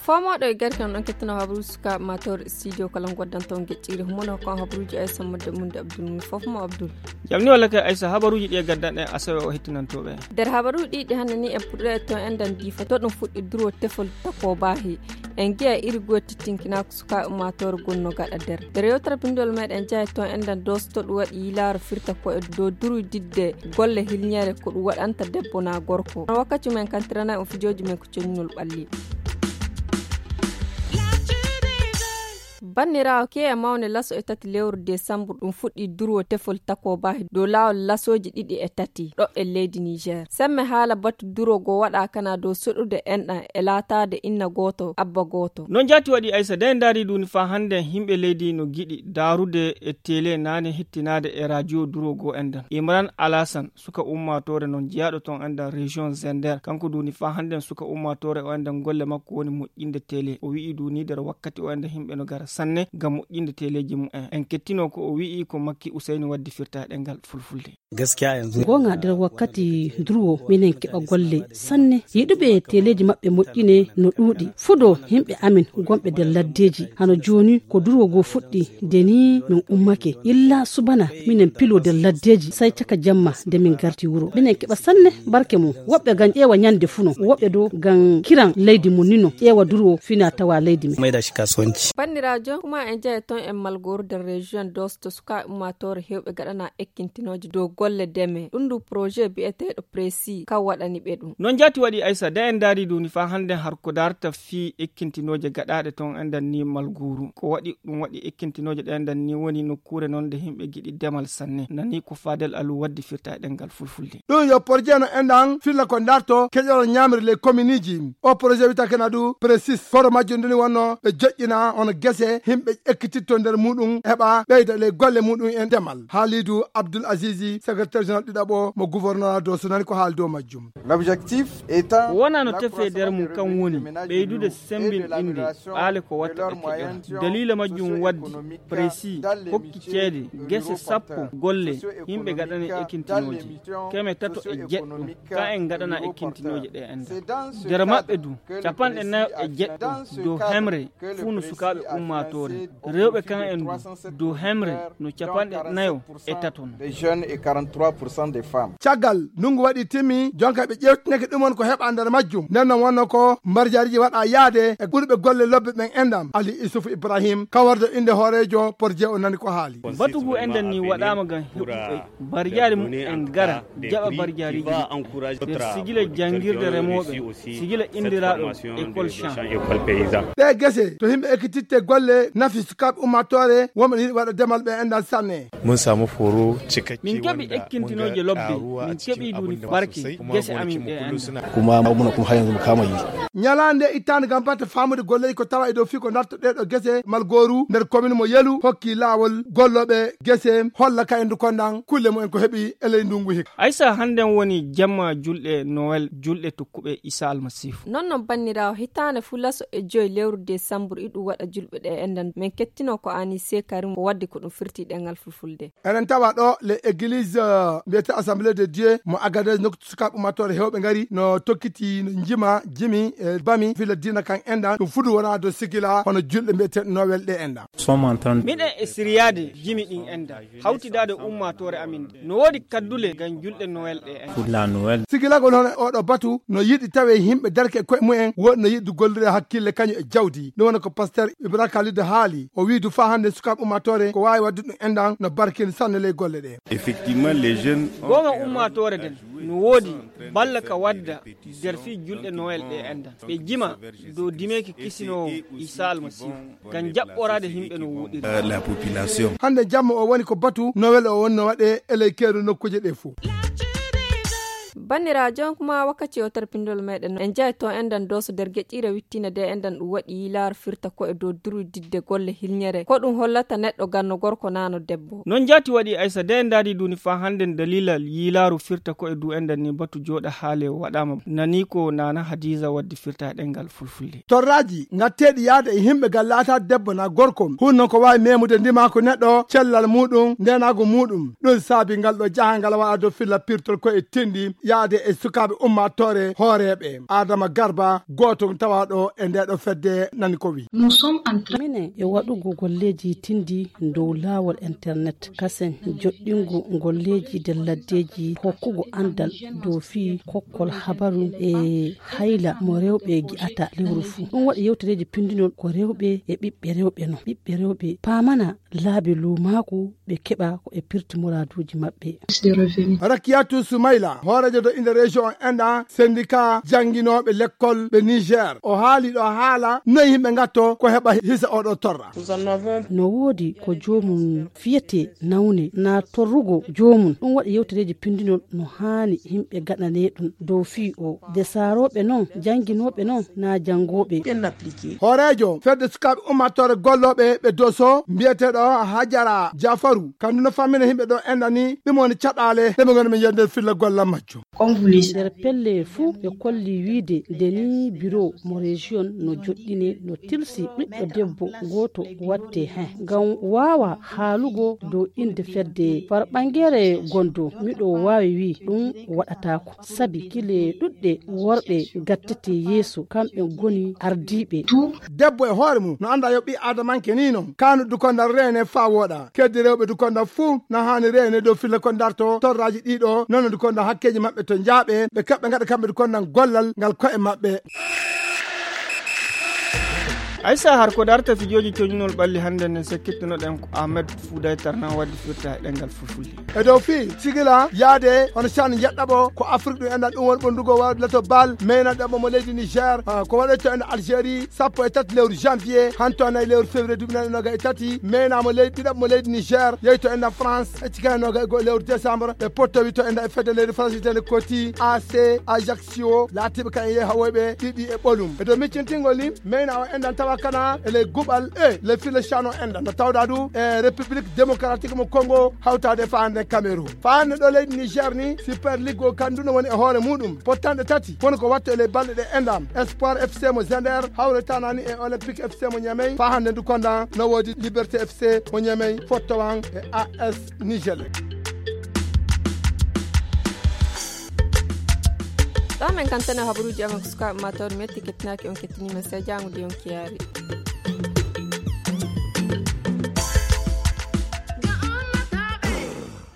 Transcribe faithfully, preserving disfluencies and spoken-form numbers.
Fomooɗo e gari kan ɗon kettuno habaruuji sukaaɓe maatoore studio kala ngoddanto geƴƴiiri homono kon habaruuji ay sammude munde abdul mum fof mo abdul. Jam ni walla kay aysa habaruuji ɗi e gaddanɗen asawe o hettinantooɓe. Nder habaruuji ɗiɗi hannde ni en puɗɗo e ton enɗan diifa to ɗum fuɗɗi durwo tefol takobaahi. En ngi'a iri goye tittinkinaako sukaaɓe ummaatoore gonno gaɗa nder nder yewtere binndol meɗen njaha ton enɗan doosto ɗum waɗi yilaaro firta ko e dow durwi didde golle hilñeere ko ɗum waɗanta debbo naa gorko no wakkati men kantiranay on fijooji men ko coñnol ɓalli. Banniraawo keeya mawne laso e tati lewru desambur ɗum fuɗɗi durwo tefol takobaahi dow laawol lasooji ɗiɗi e tati ɗo e leydi niger semme haala batu durwo goo waɗa kana dow soɗude enɗan e laataade inna gooto abba gooto. Noon jaati waɗi aysa de ndaari duuni faa hannde yimɓe leydi no giɗi daarude e tele naane hettinaade e radio durwo goo enɗan imran alasan suka ummaatoore noon jeyaaɗo toon enɗan région zender kanko duuni faa hannden suka ummaatoore o enɗan golle makko woni moƴƴinde tele o wi'i duuni nder wakkati o enɗan yimɓe no gara sanne ngam moƴƴinde teleeji mumen en kettinoo ko o wi'i ko makki usayni waddi firta e ɗemngal fulfulde. Goonga nder wakkati durwo minen keɓa golle sanne yiɗuɓe teleeji maɓɓe moƴƴine no ɗuuɗi fudo yimɓe amin gonɓe nder laddeeji hano jooni ko durwo goo fuɗɗi nde ni min ummake illa subana minen pilo nder laddeeji sey caka jamma nde min garti wuro minen keɓa sanne barke mum woɓɓe ngam ƴeewa ñande fuu no woɓɓe dow ngam kiran leydi mum ni no ƴeewa durwo fina tawa leydi men. Banniraajo kuma en njaha ton en malgooru nder région dosto sukaaɓe ummaatoore heewɓe gaɗana ekkintinooje dow golle deme ɗum ndu projet biyeteeɗo précis kan waɗani ɓe ɗum. Noon jaati waɗi aysa da en ndaari duuni faa hannde har ko daarta fii ekkintinooje gaɗaaɗe toon enɗan ni malgooru ko waɗi ɗum waɗi ekkintinooje ɗe enɗan ni woni nokkuure noon nde yimɓe giɗi demal sanne nani ko faadel alu waddi firta e ɗemngal fulfulde. Ɗum yo porjee no enɗan filla ko daarto keƴoral ñaamri ley kominiiji o projet wiyata kena du précis koro majjum nduni wonno ɓe joƴƴina hono gese yimɓe ekkititto nder muɗum heɓa ɓeyda ley golle muɗum en demal haalidu abdul azizi secrétaire général ɗiɗaɓo mo gouverneur do so nani ko haali dow majjum. L'objectif étant ko wonano tefe nder mum kan woni ɓeydude sembinɗinde ɓaale ko watta e keƴoral daliila majjum waddi précis hokki ceede gese sappo golle yimɓe gaɗani ekintinooje keme tato e jeɗɗo ka en gaɗana ekintinooje ɗe enɗan nder maɓɓe du capanɗe nayo e jeɗɗo dow hemre fuu no sukaaɓe ummaatoore rewɓe kan en du dow hemre no capanɗe nayo e tato no. Caggal ndunngu waɗi timmi jonka ɓe ƴeewtineke ɗum on ko heɓa nder majjum nden non wonno ko mbarjaariiji waɗa yaade e ɓurɓe golle lobbe ɓen enɗam ali isufu ibrahim kawardo innde hooreejo porje o nani ko haali. Batu ngu enɗan ni waɗaama ngam heɓuɓe mbarjaari mum en ngara jaɓa mbarjaariiji nder sigila janngirde remooɓe sigila inndiraaɗo école champ. Ɗee gese to yimɓe ekkititte golle nafi sukaaɓe ummaatoore wonɓe yiɗi waɗa demal ɓe enɗan sanne. Mun samu foro cikakke min keɓi ekkintinooje lobbe min keɓi duuni barke gese amin ɗe enɗan. Kuma muna kuma har yanzu mu kama yi. Ñalaande ittaande ngam batte faamude golleeji ko tawa e dow fii ko darto ɗee ɗo gese malgooru nder komin mo yelu hokki laawol gollooɓe gese holla kayendu kondan kulle mumen ko heɓi e ley ndungu hikka. Aysa hannden woni jamma julɗe nowel julɗe tokkuɓe isa almasiifu. Non non banniraawo hitaande fuu laso e joy lewru desambur iɗum waɗa julɓe ɗe enɗan men kettino ko ani sekarim ko waddi ko ɗum firti ɗengal fulfulde. Eɗen tawa ɗo le église mbiyete assemblée de dieu mo agadez nokku sukaaɓe ummatore hewɓe ngari no tokkiti no jima jimi e bami fila diina kan enɗan ɗum fudu wona do sigila hono julɗe mbiyeteɗo nowel ɗe enɗan. Miɗen e siriyaade jimi ɗin enɗan hawtidaade ummatore amin nde no woodi kaddule ngam julɗe nowel ɗe enɗan. Sigilagol hono oɗo batu no yiɗi tawe yimɓe darke e koye mumen woɗi no yiɗi gollire hakkille kañum e jawdi ɗum wona ko pasteur ibrahim khalid haali o wiidu faa hannde sukaaɓe ummatore ko waawi wadde ɗum enɗan no barkini sanne ley golle ɗe. Effectivement les jeunes. Goonga ummaatoore nden no woodi balla ka wadda nder fii julɗe nowel ɗe enɗan ɓe jima dow dimeeki kisinoowo isa almasiihu ngam jaɓɓoraade yimɓe no woɗiri. La population. Hannde jamma o woni ko batu nowel o wonno waɗe e ley keeru nokkuuje ɗe fof. Banniraajo, kuma wakkati o tarpindol meɗen en jaay to enɗan doso nder geƴƴiire wittiina de enɗan ɗum waɗi yiilaaro firta ko e dow durwididde golle hilñere. Ko ɗum hollata neɗɗo ganno gorko nano debbo. Non jaati waɗi Aysa de ndaadi duni faa hannde dalilal yiilaaru firta ko e dow enɗan ni batu jooɗa haale waɗaama. Nani ko nana Hadiza waddi firta e ɗemngal fulfulde. Torraaji ngatteeɗi yahde e yimɓe gal laata debbo na gorko. Hun non ko waawi memude ndimaaku neɗɗo, cellal muuɗum, ndeenaagu muuɗum. Ɗum saabi ngal ɗo jahangal waɗa dow filla pirtol ko e tinndi yahde e sukaaɓe ummaatoore hooreeɓe. Adama Garba, gooto tawaaɗo e nde ɗo fedde nani ko wi. Minen e waɗugo golleeji tinndi dow laawol internet, kasen joɗɗingo golleeji nder laddeeji, hokkugo anndal dow fii kokkol habaru e hayla mo rewɓe gi'ata lewru fuu. Ɗum waɗi yewtereeji pinndinol ko rewɓe e ɓiɓɓe rewɓe non. Ɓiɓɓe rewɓe paamana laabi luumaaku ɓe keɓa ko e pirti muraaduuji maɓɓe. Rakiyatu Sumayla, hooreejo to inde région enɗa syndicat jannginooɓe lekkol ɓe Niger. O haali ɗo haala noy yimɓe ngatto ko heɓa hisa oɗo torra. No woodi ko joomum fiyete nawne na torrugo joomum. Ɗum waɗi yewtereeji pinndinol no haani yimɓe gaɗane ɗum dow fii o. De saarooɓe non, jannginooɓe non, na janngooɓe. Hooreejo fedde sukaaɓe ummaatoore gollooɓe ɓe Doso, mbiyeteeɗo Hajara Jafaru, kandu no fammina yimɓe ɗo enɗa ni, ɗum woni caɗaale ɗe ɓe ngoni min yiyande filla golla majjo. Nder pelle fuu ɓe kolli wiide nde ni biro mo région no joɗɗine, no tilsi ɓiɗɗo debbo gooto watte hen ngam waawa haalugo dow innde fedde. Far ɓangere gondo miɗo waawi wi ɗum waɗataako. Sabi kile ɗuɗɗe worɓe gattete yeeso, kamɓe ngoni ardiiɓe. Debbo e hoore mum no annda yo ɓii aadamanke ni non. Kaanu dukonda reene faa wooɗa. Keddi rewɓe dukonda fuu na haani reene dow filla ko darto torraaji ɗiɗo, nono dukonda hakkeeji maɓɓe to njaaɓe, ɓe kaɓɓe ngaɗa kamɓe dukonda gollal ngal ko'e maɓɓe. Aysa, har ko darta fijooji coñunol ɓalli hannde nden, sakkittunoɗen ko Ahmed Fouday Tarnan waddi firta e ɗemngal fulfulde. E dow fii sigila yaade hono can yeɗɗaɓo ko Afrique ɗum enɗan ɗum woni ɓurndugo wawde lato bal meyna ɗaɓɓo mo leydi Niger, ah, ko waɗoyto en Algérie sappo e tati lewru janvier, hanto nayi lewru février duuɓi nayi noga e tati, meyna mo leydi ɗiɗaɓɓo mo leydi Niger, yeyto enɗan France e cika noga e goho lewru décembre, ɓe pottowi to enɗan e fedde leydi France itende koti A C Ajax Sio laatiiɓe kan e yeehawoyɓe ɗiɗi e ɓolum. E dow miccintingol ni, meyna o enɗan tawa kana e ley guɓal e ley fille cano enɗan. No tawda du e République démocratique mo Congo hawtade e faande Cameroun. Faande ɗo leydi Niger ni, Super League o kandu no woni e hoore muɗum. Pottanɗe tati, kono ko wattu e ley balɗe ɗe enɗan. Espoir F C mo Zender, hawre tanani e Olympique F C mo Niamey. Fa hande ndu konda no wodi Liberté F C mo Niamey, fottowan e A S Niger. Ɗo men kantene habaruuji amen ko sukaaɓe ma tawde metti kettinaaki on kettinii men sey jaango de yonki yaari.